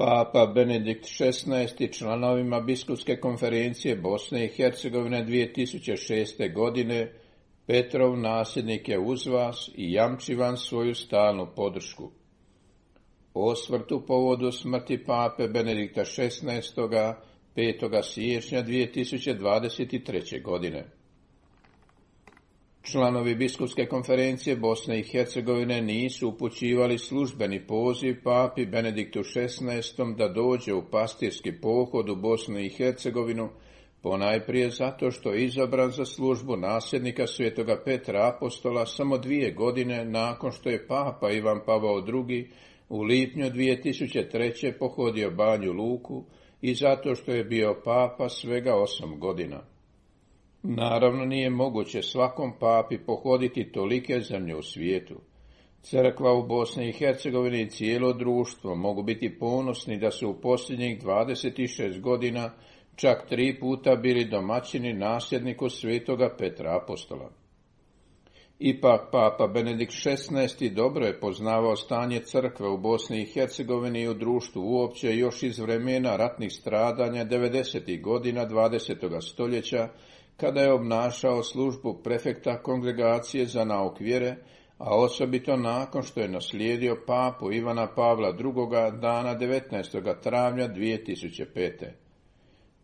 Papa Benedikt XVI članovima Biskupske konferencije Bosne i Hercegovine 2006. godine Petrov nasljednik je uz vas i jamči vam svoju stalnu podršku. Osvrt u povodu smrti Pape Benedikta XVI. 5. siječnja 2023. godine. Članovi Biskupske konferencije Bosne i Hercegovine nisu upućivali službeni poziv Papi Benediktu XVI. Da dođe u pastirski pohod u Bosnu i Hercegovinu, ponajprije zato što je izabran za službu nasljednika svetoga Petra Apostola samo 2 godine nakon što je Papa Ivan Pavao II. U lipnju 2003. pohodio Banju Luku i zato što je bio Papa svega 8 godina. Naravno nije moguće svakom papi pohoditi tolike zemlje u svijetu. Crkva u Bosni i Hercegovini i cijelo društvo mogu biti ponosni da su u posljednjih 26 godina čak 3 puta bili domaćini nasljedniku svetoga Petra Apostola. Ipak Papa Benedikt XVI. Dobro je poznavao stanje crkve u Bosni i Hercegovini i u društvu uopće još iz vremena ratnih stradanja 90. godina 20. stoljeća, kada je obnašao službu prefekta Kongregacije za nauk vjere, a osobito nakon što je naslijedio papu Ivana Pavla II. Dana 19. travnja 2005.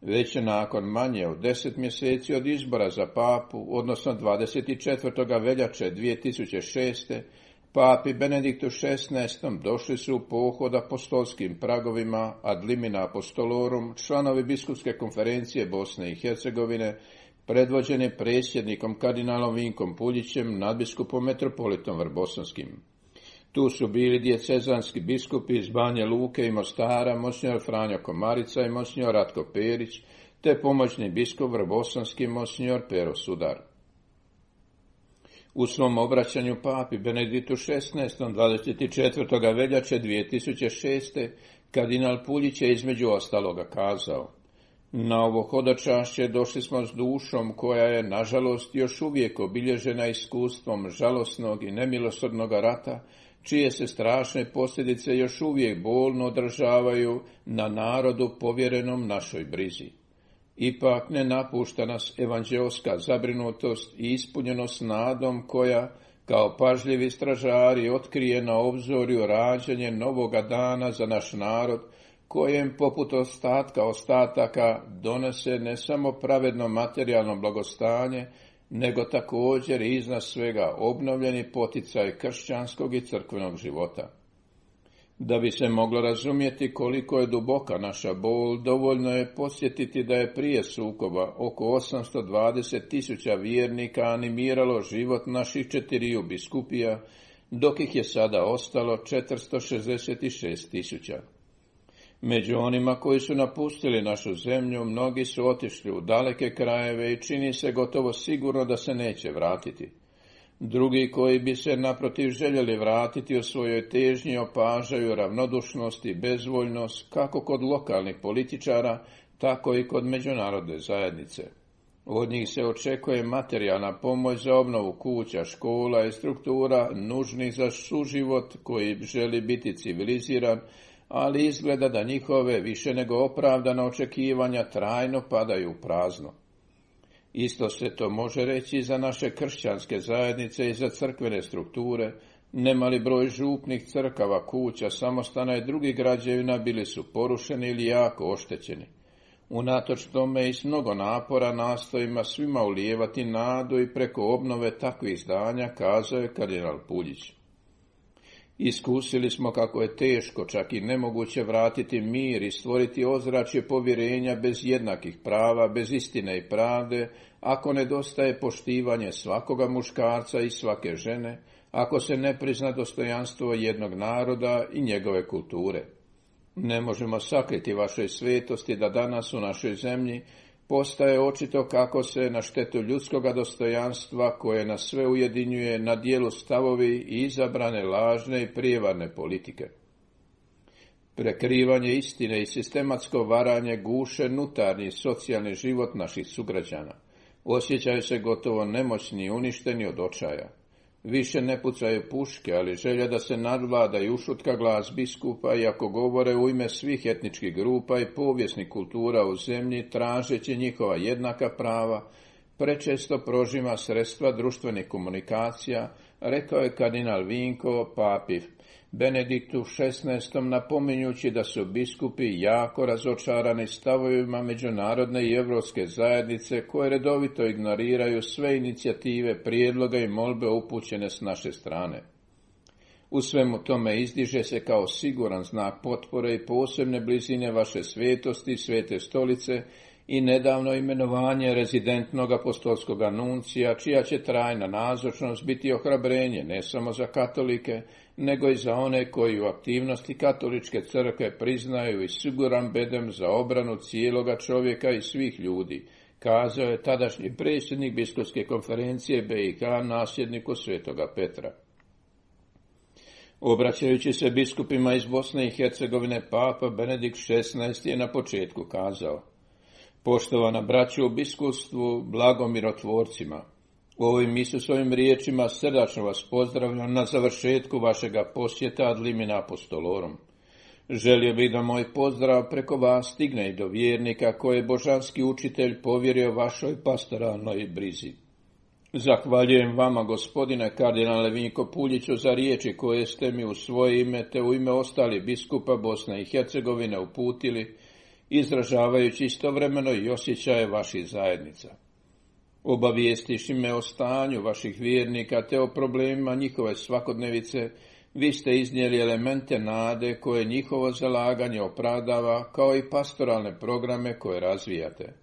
Već nakon manje od 10 mjeseci od izbora za papu, odnosno 24. veljače 2006. Papi Benediktu XVI. Došli su u pohod apostolskim pragovima ad limina apostolorum članovi Biskupske konferencije Bosne i Hercegovine, predvođeni predsjednikom kardinalom Vinkom Puljićem, nadbiskupom metropolitom Vrbosanskim. Tu su bili dijecezanski biskupi iz Banje Luke i Mostara, monsignor Franjo Komarica i monsignor Ratko Perić, te pomoćni biskup Vrbosanski monsignor Pero Sudar. U svom obraćanju papi Benediktu XVI. 24. veljače 2006. kardinal Puljić je između ostaloga kazao: na ovo hodočašće došli smo s dušom koja je, nažalost, još uvijek obilježena iskustvom žalosnog i nemilosrdnog rata, čije se strašne posljedice još uvijek bolno odražavaju na narodu povjerenom našoj brizi. Ipak ne napušta nas evanđeoska zabrinutost i ispunjenost nadom koja, kao pažljivi stražari, otkrije na obzorju rađanje novoga dana za naš narod, kojem poput ostataka donese ne samo pravedno materijalno blagostanje, nego također i iznad svega obnovljeni poticaj kršćanskog i crkvenog života. Da bi se moglo razumjeti koliko je duboka naša bol, dovoljno je podsjetiti da je prije sukoba oko 820.000 vjernika animiralo život naših 4 biskupija, dok ih je sada ostalo 466.000. Među onima koji su napustili našu zemlju, mnogi su otišli u daleke krajeve i čini se gotovo sigurno da se neće vratiti. Drugi koji bi se naprotiv željeli vratiti u svojoj težnji opažaju ravnodušnost i bezvoljnost kako kod lokalnih političara, tako i kod međunarodne zajednice. Od njih se očekuje materijalna pomoć za obnovu kuća, škola i struktura nužnih za suživot koji želi biti civiliziran, ali izgleda da njihove više nego opravdana očekivanja trajno padaju u prazno. Isto se to može reći i za naše kršćanske zajednice i za crkvene strukture. Nemali broj župnih crkava, kuća, samostana i drugih građevina bili su porušeni ili jako oštećeni. Unatoč tome i s mnogo napora nastojima svima ulijevati nadu i preko obnove takvih zdanja, kazao je kardinal Puljić. Iskusili smo kako je teško, čak i nemoguće vratiti mir i stvoriti ozračje povjerenja bez jednakih prava, bez istine i pravde, ako nedostaje poštivanje svakoga muškarca i svake žene, ako se ne prizna dostojanstvo jednog naroda i njegove kulture. Ne možemo sakriti vašoj svetosti da danas u našoj zemlji postaje očito kako se na štetu ljudskoga dostojanstva koje nas sve ujedinjuje na dijelu stavovi i izabrane lažne i prijevarne politike. Prekrivanje istine i sistematsko varanje guše unutarnji i socijalni život naših sugrađana. Osjećaju se gotovo nemoćni i uništeni od očaja. Više ne pucaju puške, ali želja da se nadvlada i ušutka glas biskupa, iako govore u ime svih etničkih grupa i povijesnih kultura u zemlji, tražeći njihova jednaka prava, prečesto prožima sredstva društvenih komunikacija, rekao je kardinal Vinko papi Benediktu XVI, napominjući da su biskupi jako razočarani stavovima međunarodne i europske zajednice koje redovito ignoriraju sve inicijative, prijedloga i molbe upućene s naše strane. U svemu tome izdiže se kao siguran znak potpore i posebne blizine vaše svetosti, Svete stolice i nedavno imenovanje rezidentnog apostolskog nuncija, čija će trajna nazočnost biti ohrabrenje ne samo za katolike, nego i za one koji u aktivnosti katoličke crkve priznaju i siguran bedem za obranu cijeloga čovjeka i svih ljudi, kazao je tadašnji predsjednik biskupske konferencije BiH nasljedniku Svetoga Petra. Obraćajući se biskupima iz Bosne i Hercegovine, papa Benedikt XVI je na početku kazao: Poštovana braćo u biskupstvu, blagomirotvorcima, ovim Isusovim riječima srdačno vas pozdravljam na završetku vašega posjeta ad limina apostolorum. Želio bih da moj pozdrav preko vas stigne i do vjernika koje je božanski učitelj povjerio vašoj pastoralnoj brizi. Zahvaljujem vama, gospodine kardinale Vinko Puljiću, za riječi koje ste mi u svoje ime te u ime ostalih biskupa Bosne i Hercegovine uputili, izražavajući istovremeno i osjećaje vaših zajednica. Obavijestiši me o stanju vaših vjernika te o problemima njihove svakodnevice, vi ste iznijeli elemente nade koje njihovo zalaganje opravdava, kao i pastoralne programe koje razvijate.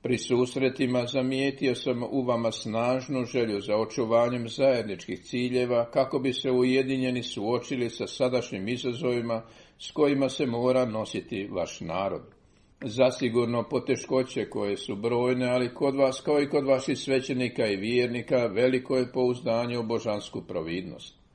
Pri susretima zamijetio sam u vama snažnu želju za očuvanjem zajedničkih ciljeva kako bi se ujedinjeni suočili sa sadašnjim izazovima s kojima se mora nositi vaš narod. Zasigurno poteškoće koje su brojne, ali kod vas kao i kod vaših svećenika i vjernika veliko je pouzdanje u božansku providnost.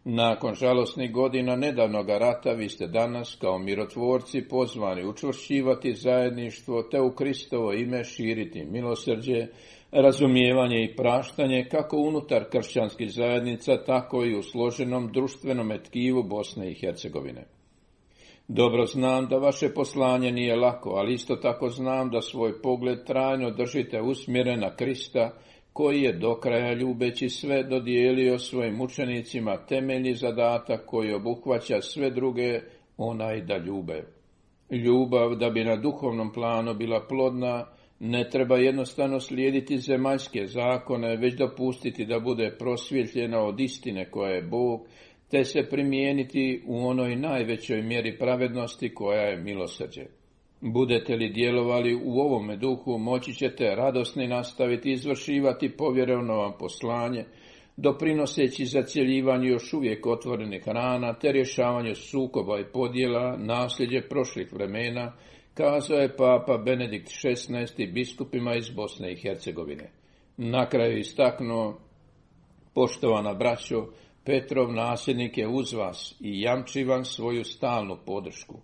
Nakon žalosnih godina nedavnoga rata vi ste danas kao mirotvorci pozvani učvršćivati zajedništvo te u Kristovo ime širiti milosrđe, razumijevanje i praštanje kako unutar kršćanskih zajednica, tako i u složenom društvenom tkivu Bosne i Hercegovine. Dobro znam da vaše poslanje nije lako, ali isto tako znam da svoj pogled trajno držite usmjeren na Krista, koji je do kraja ljubeći sve dodijelio svojim učenicima temeljni zadatak koji obuhvaća sve druge, onaj da ljube. Ljubav, da bi na duhovnom planu bila plodna, ne treba jednostavno slijediti zemaljske zakone, već dopustiti da bude prosvjetljena od istine koja je Bog, te se primijeniti u onoj najvećoj mjeri pravednosti koja je milosrđe. Budete li djelovali u ovome duhu, moći ćete radosni nastaviti izvršivati povjereno vam poslanje, doprinoseći zacjeljivanju još uvijek otvorenih rana, te rješavanju sukoba i podjela, nasljeđe prošlih vremena, kazao je papa Benedikt XVI biskupima iz Bosne i Hercegovine. Na kraju istaknuo: poštovana braćo, Petrov nasljednik je uz vas i jamči vam svoju stalnu podršku.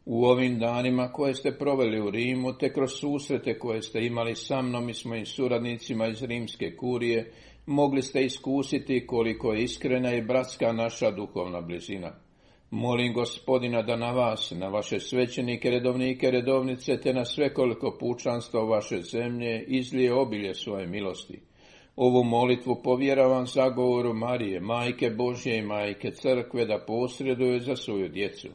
U ovim danima koje ste proveli u Rimu, te kroz susrete koje ste imali sa mnom i s mojim suradnicima iz rimske kurije, mogli ste iskusiti koliko je iskrena i bratska naša duhovna blizina. Molim Gospodina da na vas, na vaše svećenike, redovnike, redovnice, te na svekoliko pučanstvo vaše zemlje izlije obilje svoje milosti. Ovu molitvu povjeravam zagovoru Marije, Majke Božje i Majke Crkve, da posreduje za svoju djecu.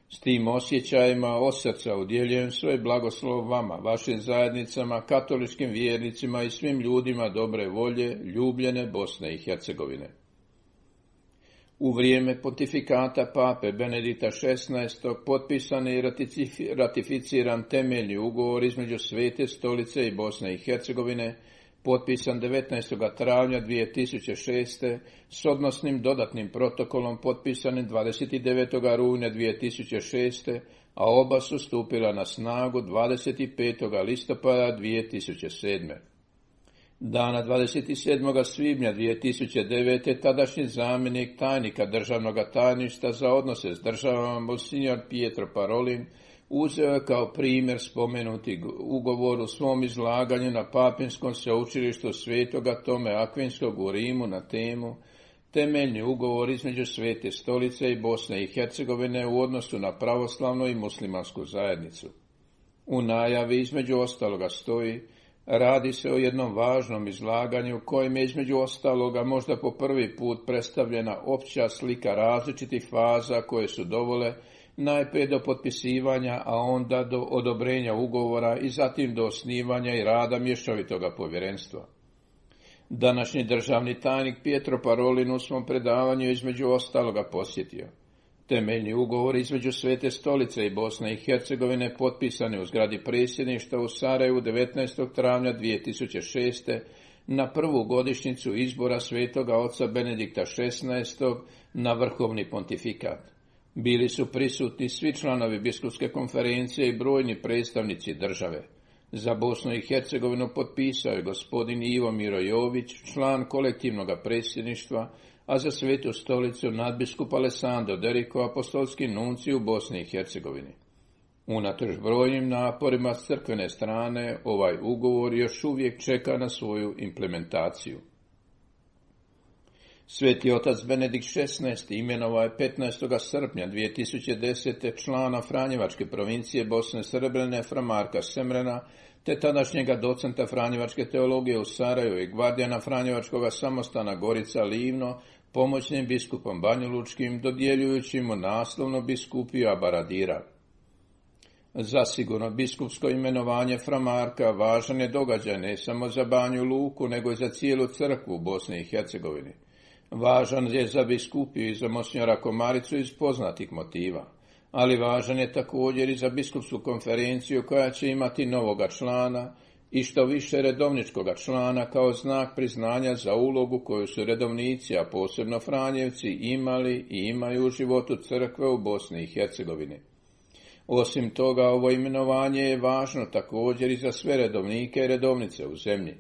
S tim osjećajima od srca udjeljujem svoj blagoslov vama, vašim zajednicama, katoličkim vjernicima i svim ljudima dobre volje, ljubljene Bosne i Hercegovine. U vrijeme pontifikata pape Benedikta XVI. Potpisan i ratificiran temeljni ugovor između Svete stolice i Bosne i Hercegovine, potpisan 19. travnja 2006. s odnosnim dodatnim protokolom potpisanim 29. rujna 2006. a oba su stupila na snagu 25. listopada 2007. Dana 27. svibnja 2009. tadašnji zamjenik tajnika državnog tajništva za odnose s državama monsignor Pietro Parolin uzeo je kao primjer spomenuti ugovor u svom izlaganju na Papinskom sveučilištu Svetoga Tome Akvinskog u Rimu na temu temeljni ugovor između Svete stolice i Bosne i Hercegovine u odnosu na pravoslavnu i muslimansku zajednicu. U najavi između ostaloga stoji: radi se o jednom važnom izlaganju kojim je između ostaloga možda po prvi put predstavljena opća slika različitih faza koje su dovele najprije do potpisivanja, a onda do odobrenja ugovora i zatim do osnivanja i rada mješovitoga povjerenstva. Današnji državni tajnik Pietro Parolin u svom predavanju između ostaloga posjetio: temeljni ugovor između Svete stolice i Bosne i Hercegovine potpisani u zgradi predsjedništva u Sarajevu 19. travnja 2006. na prvu godišnjicu izbora svetoga oca Benedikta XVI. Na vrhovni pontifikat. Bili su prisutni svi članovi biskupske konferencije i brojni predstavnici države. Za Bosnu i Hercegovinu potpisao je gospodin Ivo Miro Jović, član kolektivnog predsjedništva, a za Svetu stolicu nadbiskup Alessandro Derico, apostolski nuncij u Bosni i Hercegovini. Unatoč brojnim naporima s crkvene strane, ovaj ugovor još uvijek čeka na svoju implementaciju. Sveti otac Benedikt XVI. Imenovao je 15. srpnja 2010. člana Franjevačke provincije Bosne Srebrene fra Marka Semrena, te tadašnjega docenta Franjevačke teologije u Sarajevu i gvardijana Franjevačkoga samostana Gorica Livno, pomoćnim biskupom Banjalučkim, dodjeljujući mu naslovno biskupiju Abaradira. Zasigurno biskupsko imenovanje fra Marka važan je događaj ne samo za Banju Luku, nego i za cijelu crkvu u Bosni i Hercegovini. Važan je za biskupiju i za monsinjora Komaricu iz poznatih motiva, ali važan je također i za biskupsku konferenciju koja će imati novoga člana i što više redovničkoga člana kao znak priznanja za ulogu koju su redovnici, a posebno Franjevci, imali i imaju u životu crkve u Bosni i Hercegovini. Osim toga, ovo imenovanje je važno također i za sve redovnike i redovnice u zemlji.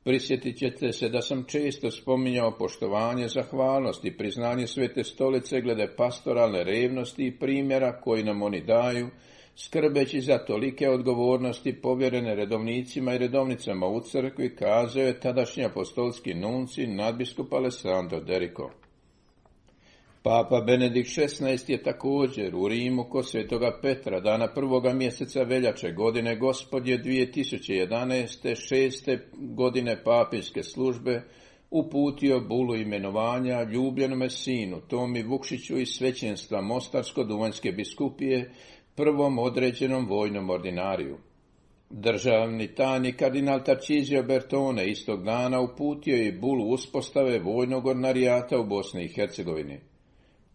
Prisjetit ćete se da sam često spominjao poštovanje, zahvalnost i priznanje Svete stolice glede pastoralne revnosti i primjera koji nam oni daju, skrbeći za tolike odgovornosti povjerene redovnicima i redovnicama u crkvi, kazao je tadašnji apostolski nuncij nadbiskup Alessandro Derico. Papa Benedikt XVI. Je također u Rimu kod Svetoga Petra dana 1. mjeseca veljače godine Gospodnje 2011. 6. godine papinske službe uputio bulu imenovanja ljubljenome sinu Tomi Vukšiću iz svećenstva Mostarsko-Duvanjske biskupije, prvom određenom vojnom ordinariju. Državni tajnik kardinal Tarcisio Bertone istog dana uputio je bulu uspostave vojnog ordinarijata u Bosni i Hercegovini.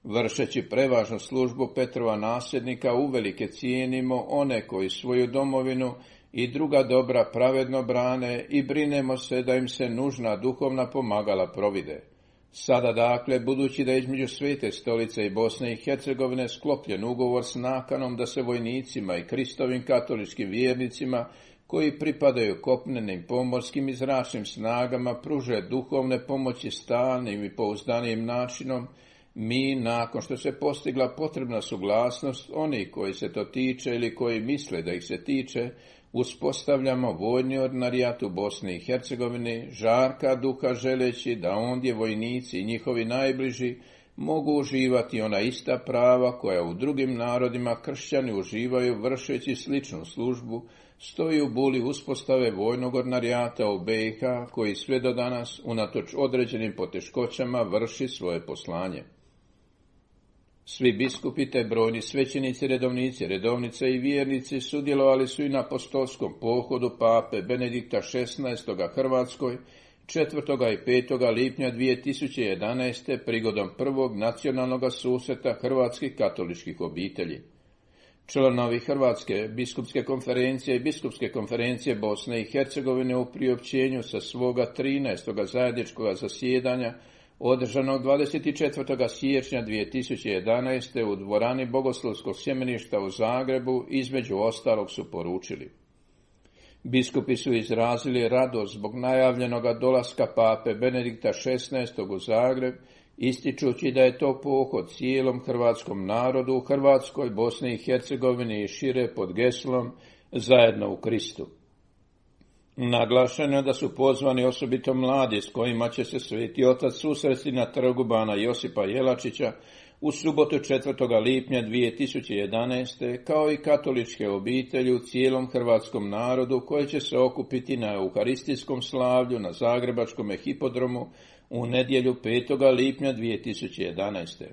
Vršeći prevažnu službu Petrova nasljednika uvelike cijenimo one koji svoju domovinu i druga dobra pravedno brane i brinemo se da im se nužna duhovna pomagala provide. Sada dakle, budući da je između Svete stolice i Bosne i Hercegovine sklopljen ugovor s nakanom da se vojnicima i Kristovim katoličkim vjernicima koji pripadaju kopnenim, pomorskim i zračnim snagama pruže duhovne pomoći stalnim i pouzdanijim načinom, mi, nakon što se postigla potrebna suglasnost onih koji se to tiče ili koji misle da ih se tiče, uspostavljamo vojni ordinarijat u Bosni i Hercegovini, žarka duha želeći da ondje vojnici i njihovi najbliži mogu uživati ona ista prava koja u drugim narodima kršćani uživaju vršeći sličnu službu, stoji u buli uspostave vojnog ordinarijata u BiH koji sve do danas, unatoč određenim poteškoćama, vrši svoje poslanje. Svi biskupi te brojni svećenici, redovnici, redovnice i vjernici sudjelovali su i na apostolskom pohodu pape Benedikta XVI. Hrvatskoj 4. i 5. lipnja 2011. prigodom prvog nacionalnog susreta hrvatskih katoličkih obitelji. Članovi Hrvatske biskupske konferencije i biskupske konferencije Bosne i Hercegovine u priopćenju sa svoga 13. zajedničkog zasjedanja održanog 24. siječnja 2011. u dvorani Bogoslovskog sjemeništa u Zagrebu između ostalog su poručili: biskupi su izrazili radost zbog najavljenoga dolaska pape Benedikta XVI. U Zagreb, ističući da je to pohod cijelom hrvatskom narodu u Hrvatskoj, Bosni i Hercegovini i šire pod geslom Zajedno u Kristu. Naglašeno je da su pozvani osobito mladi s kojima će se Sveti Otac susresti na trgu bana Josipa Jelačića u subotu 4. lipnja 2011. kao i katoličke obitelji u cijelom hrvatskom narodu koje će se okupiti na euharistijskom slavlju na Zagrebačkom hipodromu u nedjelju 5. lipnja 2011.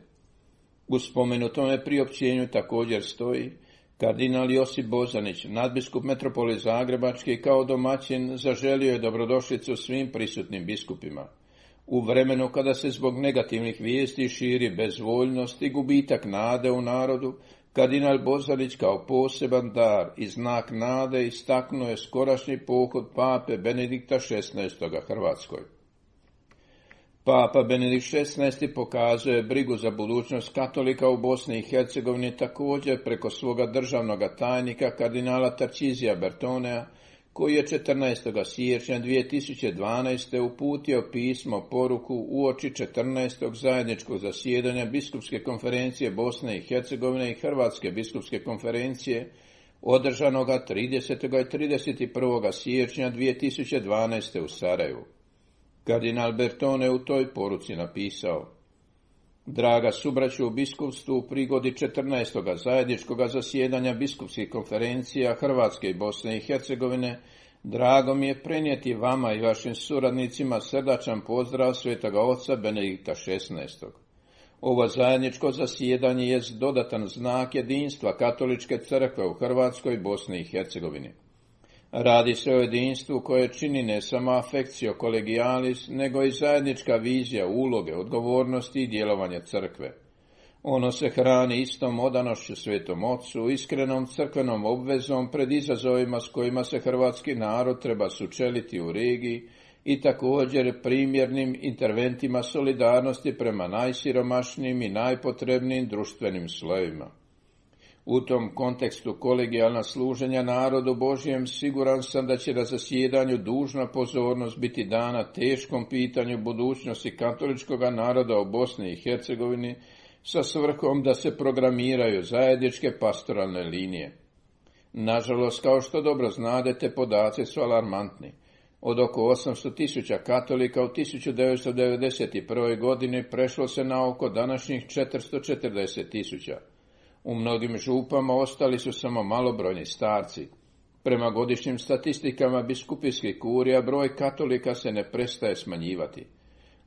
U spomenutome priopćenju također stoji: kardinal Josip Bozanić, nadbiskup Metropoli Zagrebački, kao domaćin zaželio je dobrodošlicu svim prisutnim biskupima. U vremenu kada se zbog negativnih vijesti širi bezvoljnost i gubitak nade u narodu, kardinal Bozanić kao poseban dar i znak nade istaknuo je skorašnji pohod pape Benedikta XVI. Hrvatskoj. Papa Benedikt XVI. Pokazuje brigu za budućnost katolika u Bosni i Hercegovini također preko svoga državnog tajnika kardinala Tarcisija Bertonea, koji je 14. siječnja 2012. uputio pismo poruku uoči 14. zajedničkog zasjedanja Biskupske konferencije Bosne i Hercegovine i Hrvatske biskupske konferencije održanoga 30. i 31. siječnja 2012. u Sarajevu. Kardinal Bertone u toj poruci napisao: draga subraću u biskupstvu, u prigodi 14. zajedničkog zasjedanja biskupskih konferencija Hrvatske i Bosne i Hercegovine, drago mi je prenijeti vama i vašim suradnicima srdačan pozdrav Svetoga Oca Benedikta XVI. Ovo zajedničko zasjedanje je dodatan znak jedinstva Katoličke crkve u Hrvatskoj i Bosni i Hercegovini. Radi se o jedinstvu koje čini ne samo affectio collegialis, nego i zajednička vizija uloge, odgovornosti i djelovanja crkve. Ono se hrani istom odanošću Svetom Ocu, iskrenom crkvenom obvezom pred izazovima s kojima se hrvatski narod treba sučeliti u regiji i također primjernim interventima solidarnosti prema najsiromašnijim i najpotrebnijim društvenim slojevima. U tom kontekstu kolegijalna služenja narodu Božjem siguran sam da će na zasjedanju dužna pozornost biti dana teškom pitanju budućnosti katoličkog naroda u Bosni i Hercegovini sa svrhom da se programiraju zajedničke pastoralne linije. Nažalost, kao što dobro znadete, podaci su alarmantni. Od oko 800.000 katolika u 1991. godini prešlo se na oko današnjih 440.000. U mnogim župama ostali su samo malobrojni starci. Prema godišnjim statistikama biskupijskih kurija broj katolika se ne prestaje smanjivati.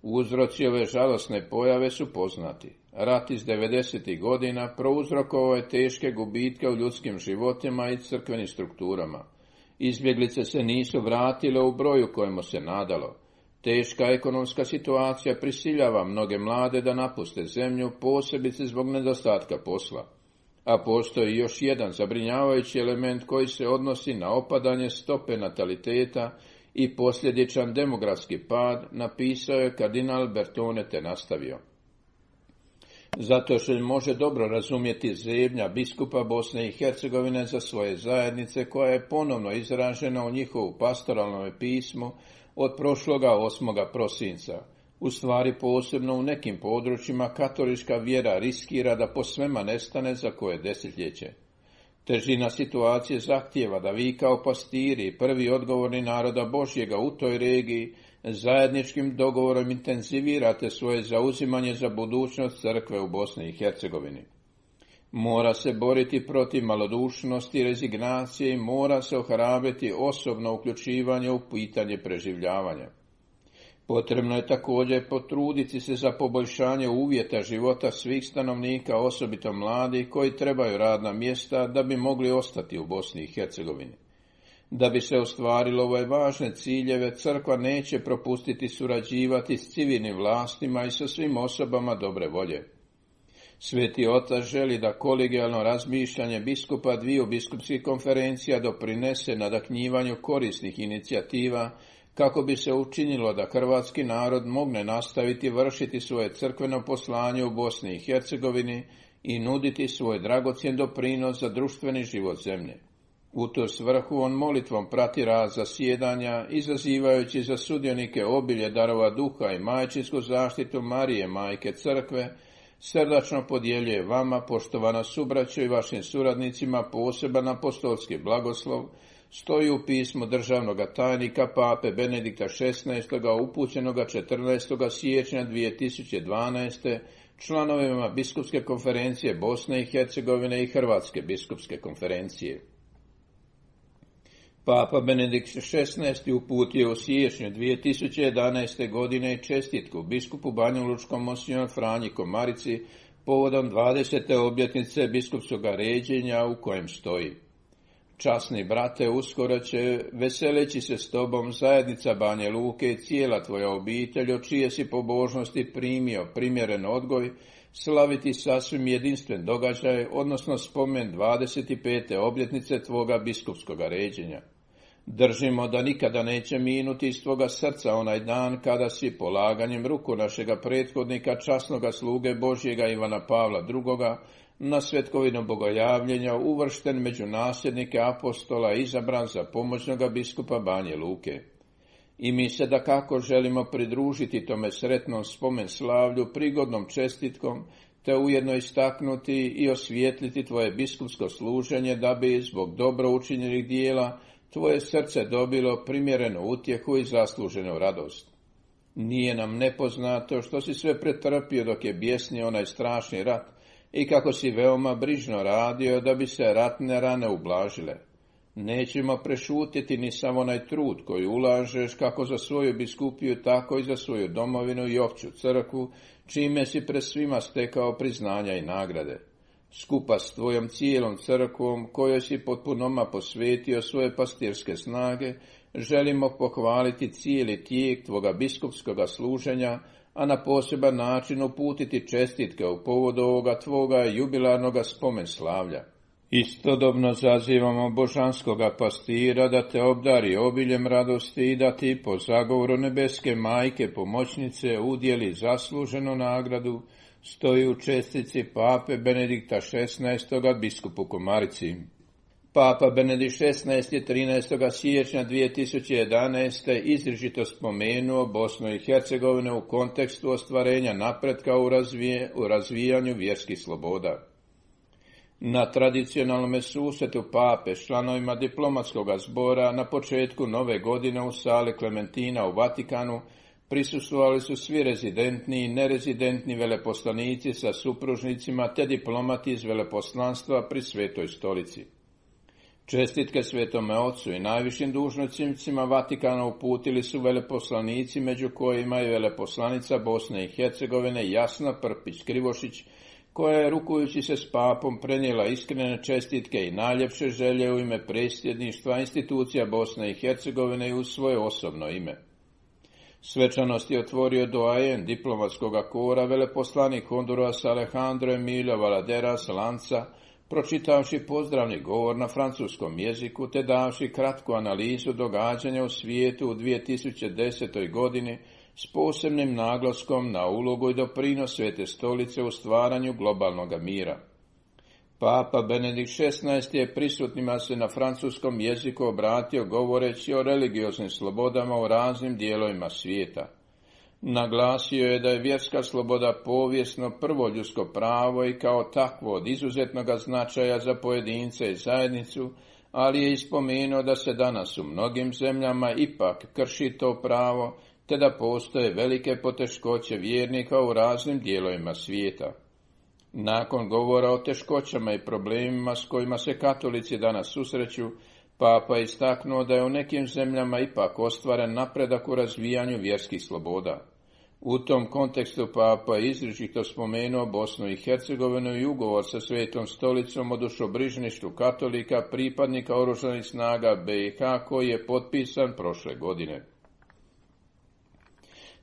Uzroci ove žalosne pojave su poznati. Rat iz 90. godina prouzrokovao je teške gubitke u ljudskim životima i crkvenim strukturama. Izbjeglice se nisu vratile u broju kojemu se nadalo. Teška ekonomska situacija prisiljava mnoge mlade da napuste zemlju, posebice zbog nedostatka posla. A postoji još jedan zabrinjavajući element koji se odnosi na opadanje stope nataliteta i posljedičan demografski pad, napisao je kardinal Bertone te nastavio. Zato se može dobro razumjeti zebnja biskupa Bosne i Hercegovine za svoje zajednice koja je ponovno izražena u njihovu pastoralnom pismu od prošloga 8. prosinca. U stvari posebno u nekim područjima katolička vjera riskira da posvema nestane za koje desetljeće. Težina situacije zahtijeva da vi kao pastiri, prvi odgovorni naroda Božjega u toj regiji, zajedničkim dogovorom intenzivirate svoje zauzimanje za budućnost crkve u Bosni i Hercegovini. Mora se boriti protiv malodušnosti i rezignacije i mora se ohrabriti osobno uključivanje u pitanje preživljavanja. Potrebno je također potruditi se za poboljšanje uvjeta života svih stanovnika, osobito mladih koji trebaju radna mjesta da bi mogli ostati u Bosni i Hercegovini. Da bi se ostvarilo ove važne ciljeve, crkva neće propustiti surađivati s civilnim vlastima i sa svim osobama dobre volje. Sveti Otac želi da kolegijalno razmišljanje biskupa dviju biskupskih konferencija doprinese nadahnjivanju korisnih inicijativa kako bi se učinilo da hrvatski narod mogne nastaviti vršiti svoje crkveno poslanje u Bosni i Hercegovini i nuditi svoj dragocjen doprinos za društveni život zemlje. U tu svrhu on molitvom prati rad zasjedanja, izazivajući za sudionike obilje darova duha i majčinsku zaštitu Marije, majke crkve, srdačno podjeljuje vama, poštovana subraćo, i vašim suradnicima poseban apostolski blagoslov, stoji u pismu državnog tajnika Pape Benedikta XVI. Upućenoga 14. siječnja 2012. članovima Biskupske konferencije Bosne i Hercegovine i Hrvatske biskupske konferencije. Papa Benedikt XVI. Uputio u siječnju 2011. godine čestitku biskupu banjalučkom monsignor Franji Komarici povodom 20. obljetnice biskupskog ređenja, u kojem stoji: Časni brate, uskoro će, veseleći se s tobom, zajednica Banja Luke i cijela tvoja obitelj, od čije si pobožnosti primio primjeren odgoj, slaviti sasvim jedinstven događaj, odnosno spomen 25. obljetnice tvoga biskupskog ređenja. Držimo da nikada neće minuti iz tvoga srca onaj dan kada si polaganjem ruku našega prethodnika, časnoga sluge Božjega Ivana Pavla II. Na svetkovinu bogojavljenja uvršten među nasljednike apostola, izabran za pomoćnoga biskupa Banje Luke. I mi se dakako želimo pridružiti tome sretnom spomen slavlju prigodnom čestitkom, te ujedno istaknuti i osvijetliti tvoje biskupsko služenje, da bi zbog dobro učinjenih dijela tvoje srce dobilo primjerenu utjehu i zasluženu radost. Nije nam nepoznato što si sve pretrpio dok je bjesnio onaj strašni rat i kako si veoma brižno radio da bi se ratne rane ublažile. Nećemo prešutiti ni samo onaj trud koji ulažeš kako za svoju biskupiju, tako i za svoju domovinu i opću crkvu, čime si pred svima stekao priznanja i nagrade. Skupa s tvojom cijelom crkvom, kojoj si potpunoma posvetio svoje pastirske snage, želimo pohvaliti cijeli tijek tvoga biskupskoga služenja, a na poseban način uputiti čestitke u povodu ovoga tvoga jubilarnoga spomen slavlja. Istodobno zazivamo božanskoga pastira da te obdari obiljem radosti i da ti po zagovoru nebeske majke pomoćnice udjeli zasluženu nagradu, stoji u čestici Pape Benedikta XVI. Biskupu Komarici. Papa Benedikt XVI. 13. siječnja 2011. izričito spomenuo Bosnu i Hercegovinu u kontekstu ostvarenja napretka u razvijanju vjerskih sloboda. Na tradicionalnom susretu pape s članovima diplomatskog zbora na početku nove godine u sali Klementina u Vatikanu prisustvovali su svi rezidentni i nerezidentni veleposlanici sa supružnicima te diplomati iz veleposlanstva pri Svetoj stolici. Čestitke Svetome Ocu i najvišim dužnosnicima Vatikana uputili su veleposlanici, među kojima je veleposlanica Bosne i Hercegovine Jasna Prpić-Krivošić, koja je, rukujući se s papom, prenijela iskrene čestitke i najljepše želje u ime predsjedništva institucija Bosne i Hercegovine i u svoje osobno ime. Svečanost je otvorio doajen diplomatskog kora, veleposlanik Hondurasa Alejandro Emilio Valaderas Lanza, pročitavši pozdravni govor na francuskom jeziku te davši kratku analizu događanja u svijetu u 2010. godini s posebnim naglaskom na ulogu i doprinos Svete stolice u stvaranju globalnog mira. Papa Benedikt XVI. Je prisutnima se na francuskom jeziku obratio govoreći o religioznim slobodama u raznim dijelovima svijeta. Naglasio je da je vjerska sloboda povijesno prvo ljudsko pravo i kao takvo od izuzetnog značaja za pojedince i zajednicu, ali je ispomenuo da se danas u mnogim zemljama ipak krši to pravo, te da postoje velike poteškoće vjernika u raznim dijelovima svijeta. Nakon govora o teškoćama i problemima s kojima se katolici danas susreću, Papa je istaknuo da je u nekim zemljama ipak ostvaren napredak u razvijanju vjerskih sloboda. U tom kontekstu Papa je izričito spomenuo Bosnu i Hercegovinu i ugovor sa Svetom stolicom o dušobrižništvu katolika pripadnika oružanih snaga BiH koji je potpisan prošle godine.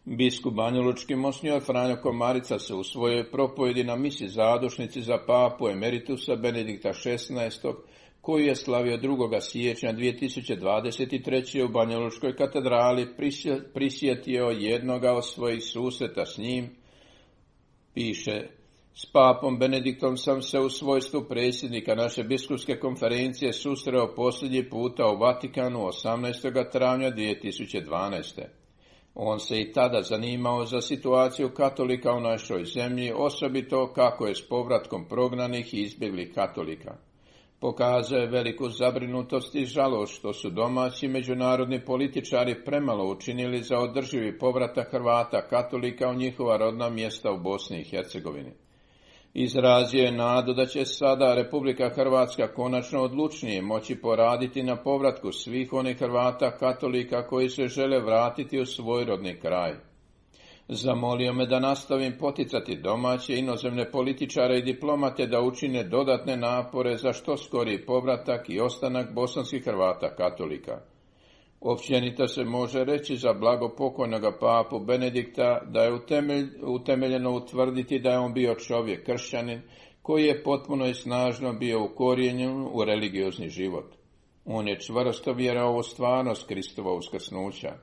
Biskup banjalučki monsignor Franjo Komarica se u svojoj propovjedi na misi zadušnici za papu emeritusa Benedikta XVI. Koju je slavio 2. siječnja 2023. u Banjalučkoj katedrali, prisjetio jednoga od svojih susreta s njim. Piše: S papom Benediktom sam se u svojstvu predsjednika naše biskupske konferencije susreo posljednji puta u Vatikanu 18. travnja 2012. On se i tada zanimao za situaciju katolika u našoj zemlji, osobito kako je s povratkom prognanih i izbjeglih katolika. Pokazao je veliku zabrinutost i žalost što su domaći međunarodni političari premalo učinili za održivi povratak Hrvata katolika u njihova rodna mjesta u Bosni i Hercegovini. Izrazio je nadu da će sada Republika Hrvatska konačno odlučnije moći poraditi na povratku svih onih Hrvata katolika koji se žele vratiti u svoj rodni kraj. Zamolio me da nastavim poticati domaće inozemne političare i diplomate da učine dodatne napore za što skoriji povratak i ostanak bosanskih Hrvata katolika. Općenito se može reći za blagopokojnoga papu Benedikta da je utemeljeno utvrditi da je on bio čovjek kršćanin koji je potpuno i snažno bio ukorijenjen u religiozni život. On je čvrsto vjerovao u stvarnost Kristova uskrsnuća.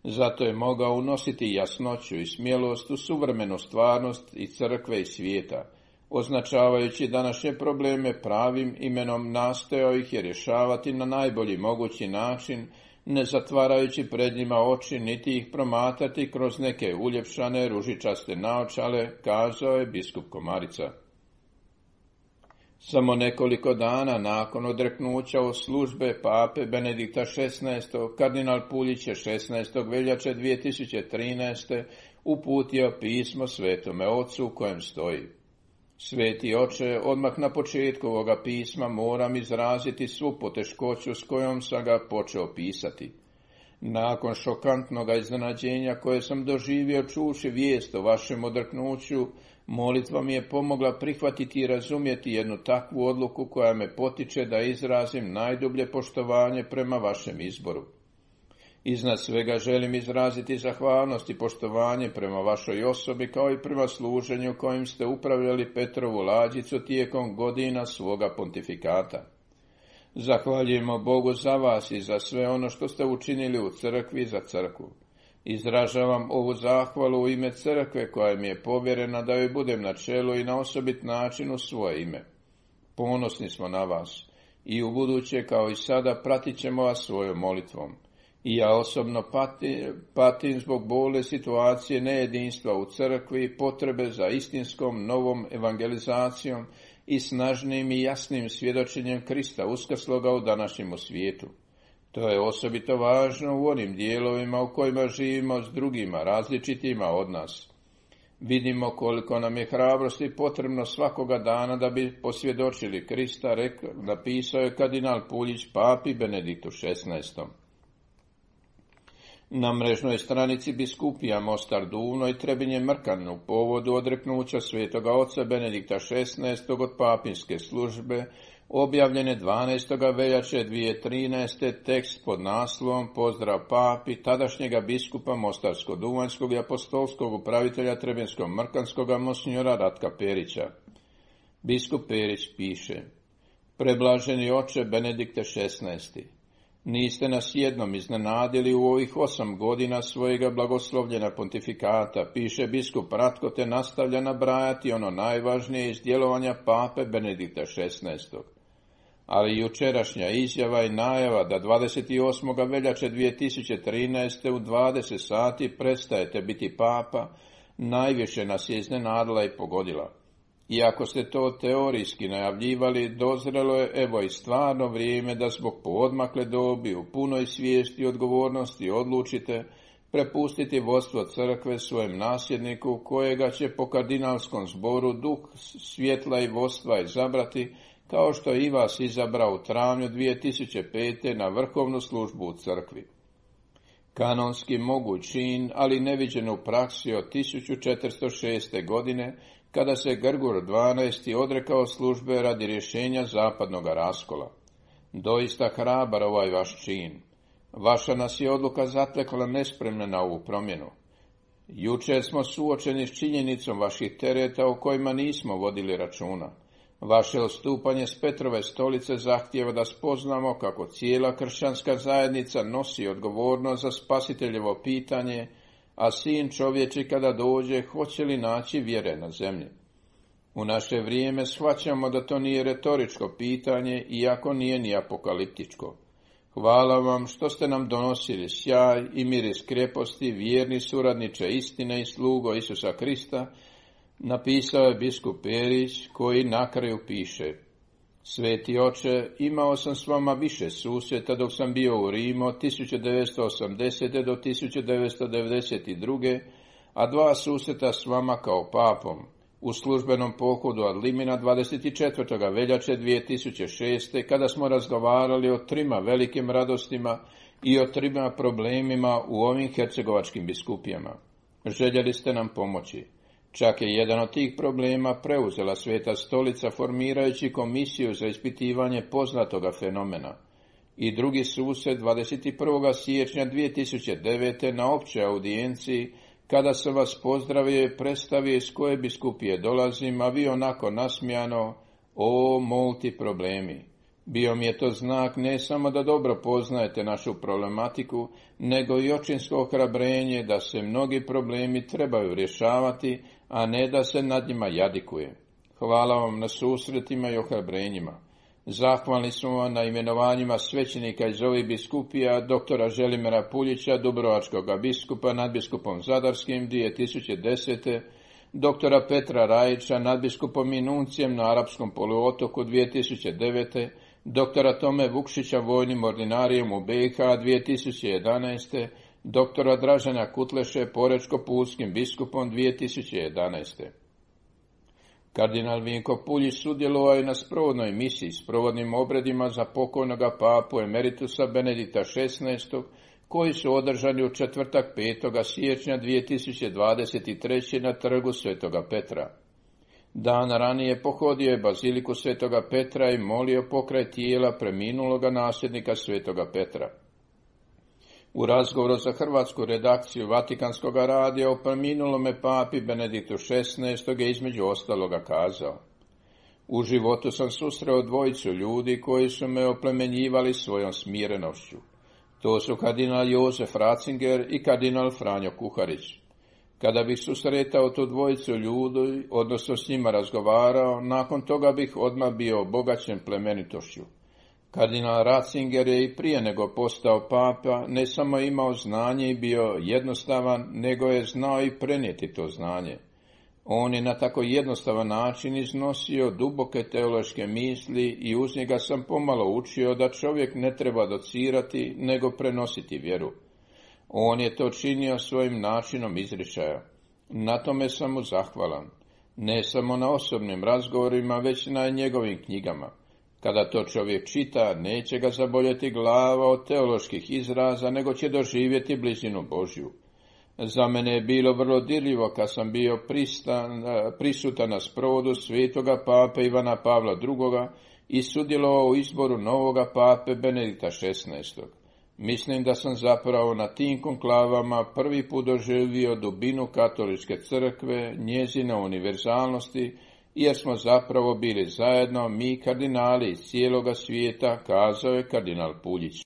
Zato je mogao unositi jasnoću i smjelost u suvremenu stvarnost i crkve i svijeta, označavajući današnje probleme pravim imenom, nastojao ih je rješavati na najbolji mogući način, ne zatvarajući pred njima oči niti ih promatrati kroz neke uljepšane ružičaste naočale, kazao je biskup Komarica. Samo nekoliko dana nakon odreknuća od službe pape Benedikta XVI, kardinal Puljić je 16. veljače 2013. uputio pismo Svetome Ocu u kojem stoji: Sveti Oče, odmah na početku ovoga pisma moram izraziti svu poteškoću s kojom sam ga počeo pisati. Nakon šokantnog iznenađenja koje sam doživio čuvši vijest o vašem odreknuću, molitva mi je pomogla prihvatiti i razumjeti jednu takvu odluku koja me potiče da izrazim najdublje poštovanje prema vašem izboru. Iznad svega želim izraziti zahvalnost i poštovanje prema vašoj osobi kao i prema služenju kojim ste upravljali Petrovu lađicu tijekom godina svoga pontifikata. Zahvaljujemo Bogu za vas i za sve ono što ste učinili u crkvi za crkvu. Izražavam ovu zahvalu u ime crkve koja mi je povjerena da joj budem na čelu i na osobit način u svoje ime. Ponosni smo na vas i u buduće kao i sada pratit ćemo vas svojom molitvom. I ja osobno patim zbog bole situacije nejedinstva u crkvi i potrebe za istinskom novom evangelizacijom i snažnim i jasnim svjedočenjem Krista uskrsloga u današnjem svijetu. To je osobito važno u onim dijelovima u kojima živimo s drugima, različitima od nas. Vidimo koliko nam je hrabrosti potrebno svakoga dana da bi posvjedočili Krista, napisao je kardinal Puljić papi Benediktu XVI. Na mrežnoj stranici biskupija Mostar Duvno i Trebinje Mrkan u povodu odreknuća svetoga oca Benedikta XVI. Od papinske službe objavljene 12. veljače 2013. tekst pod naslovom Pozdrav papi tadašnjega biskupa Mostarsko-Duvanjskog i apostolskog upravitelja Trebinsko-Mrkanskoga monsinjora Ratka Perića. Biskup Perić piše: Preblaženi oče Benedikte XVI. Niste nas jednom iznenadili u ovih 8 godina svojega blagoslovljena pontifikata, piše biskup Ratko, te nastavlja nabrajati ono najvažnije iz djelovanja pape Benedikta XVI. Ali jučerašnja izjava i najava da 28. veljače 2013. u 20 sati prestajete biti papa, najviše nas je iznenadila i pogodila. Iako ste to teorijski najavljivali, dozrelo je evo i stvarno vrijeme da zbog poodmakle dobi u punoj svijesti i odgovornosti odlučite prepustiti vodstvo crkve svojem nasljedniku, kojega će po kardinalskom zboru duh svjetla i vodstva izabrati, kao što je i vas izabrao u travnju 2005. na vrhovnu službu u crkvi. Kanonski moguć čin, ali neviđen u praksi od 1406. godine, kada se Grgur XII. Odrekao službe radi rješenja zapadnog raskola. Doista hrabar ovaj vaš čin. Vaša nas je odluka zatekla nespremna na ovu promjenu. Jučer smo suočeni s činjenicom vaših tereta o kojima nismo vodili računa. Vaše odstupanje s Petrove stolice zahtijeva da spoznamo kako cijela kršćanska zajednica nosi odgovornost za spasiteljevo pitanje, a sin čovječi kada dođe hoće li naći vjere na zemlji. U naše vrijeme shvaćamo da to nije retoričko pitanje, iako nije ni apokaliptičko. Hvala vam što ste nam donosili sjaj i miris kreposti, vjerni suradniče istine i slugo Isusa Krista, napisao je biskup Perić, koji na kraju piše: Sveti oče, imao sam s vama više susreta dok sam bio u Rimu od 1980. do 1992. a 2 susreta s vama kao papom. U službenom pohodu ad limina 24. veljače 2006. kada smo razgovarali o 3 velikim radostima i o 3 problemima u ovim hercegovačkim biskupijama. Željeli ste nam pomoći. Čak je jedan od tih problema preuzela Sveta stolica formirajući komisiju za ispitivanje poznatoga fenomena. I drugi susret 21. siječnja 2009. na općoj audijenciji, kada sam vas pozdravio i predstavio iz koje biskupije dolazim, a vi onako nasmijano: o, multi problemi. Bio mi je to znak ne samo da dobro poznajete našu problematiku, nego i očinsko ohrabrenje da se mnogi problemi trebaju rješavati, a ne da se nad njima jadikuje. Hvala vam na susretima i ohrabrenjima. Zahvalni smo vam na imenovanjima svećenika iz ovih biskupija, doktora Želimira Puljića, dubrovačkog biskupa, nadbiskupom Zadarskim 2010. Doktora Petra Rajića, nadbiskupom i nuncijem na Arapskom poluotoku 2009. Doktora Tome Vukšića, vojnim ordinarijem u BiH 2011. Doktora Dražena Kutleše, porečko-pulskim biskupom 2011. Kardinal Vinko Puljić sudjelovao je na sprovodnoj misiji s provodnim obredima za pokojnoga papu emeritusa Benedikta XVI, koji su održani u četvrtak 5. siječnja 2023. na trgu Svetoga Petra. Dan ranije pohodio je baziliku Svetoga Petra i molio pokraj tijela preminuloga nasljednika Svetoga Petra. U razgovoru za hrvatsku redakciju Vatikanskog radija o preminulome papi Benediktu XVI. Je između ostaloga kazao: U životu sam susreo 2 ljudi koji su me oplemenjivali svojom smirenošću. To su kardinal Josef Ratzinger i kardinal Franjo Kuharić. Kada bih susretao tu 2 ljudi, odnosno s njima razgovarao, nakon toga bih odmah bio obogaćen plemenitošću. Kardinal Ratzinger je i prije nego postao papa ne samo imao znanje i bio jednostavan, nego je znao i prenijeti to znanje. On je na tako jednostavan način iznosio duboke teološke misli i uz njega sam pomalo učio da čovjek ne treba docirati, nego prenositi vjeru. On je to činio svojim načinom izričaja. Na tome sam mu zahvalan. Ne samo na osobnim razgovorima, već na njegovim knjigama. Kada to čovjek čita, neće ga zaboljeti glava od teoloških izraza, nego će doživjeti blizinu Božju. Za mene je bilo vrlo dirljivo kad sam bio prisutan na sprovodu svetoga pape Ivana Pavla II. I sudjelovao u izboru novoga pape Benedikta XVI. Mislim da sam zapravo na tim konklavama prvi put doživio dubinu katoličke crkve, njezine univerzalnosti, jer smo zapravo bili zajedno mi kardinali iz cijeloga svijeta, kazao je kardinal Puljić.